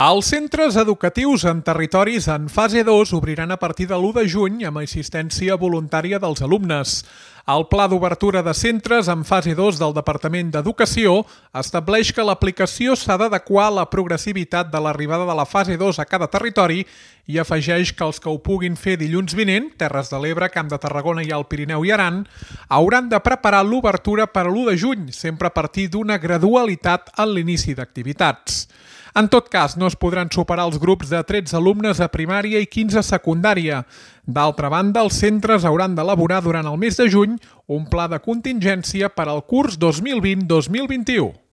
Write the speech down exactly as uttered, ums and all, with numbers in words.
Els centres educatius en territoris en fase dos obriran a partir de l'u de juny amb assistència voluntària dels alumnes. El Pla d'Obertura de Centres en fase dos del Departament d'Educació estableix que l'aplicació s'ha d'adequar a la progressivitat de l'arribada de la fase dos a cada territori i afegeix que els que ho puguin fer dilluns vinent, Terres de l'Ebre, Camp de Tarragona i el Pirineu i Aran, hauran de preparar l'obertura per a l'u de juny, sempre a partir d'una gradualitat en l'inici d'activitats. En tot cas, no es podran superar els grups de tretze alumnes a primària i quinze a secundària. D'altra banda, els centres hauran d'elaborar durant el mes de juny un pla de contingència per al curs dos mil vint dos mil vint-i-u.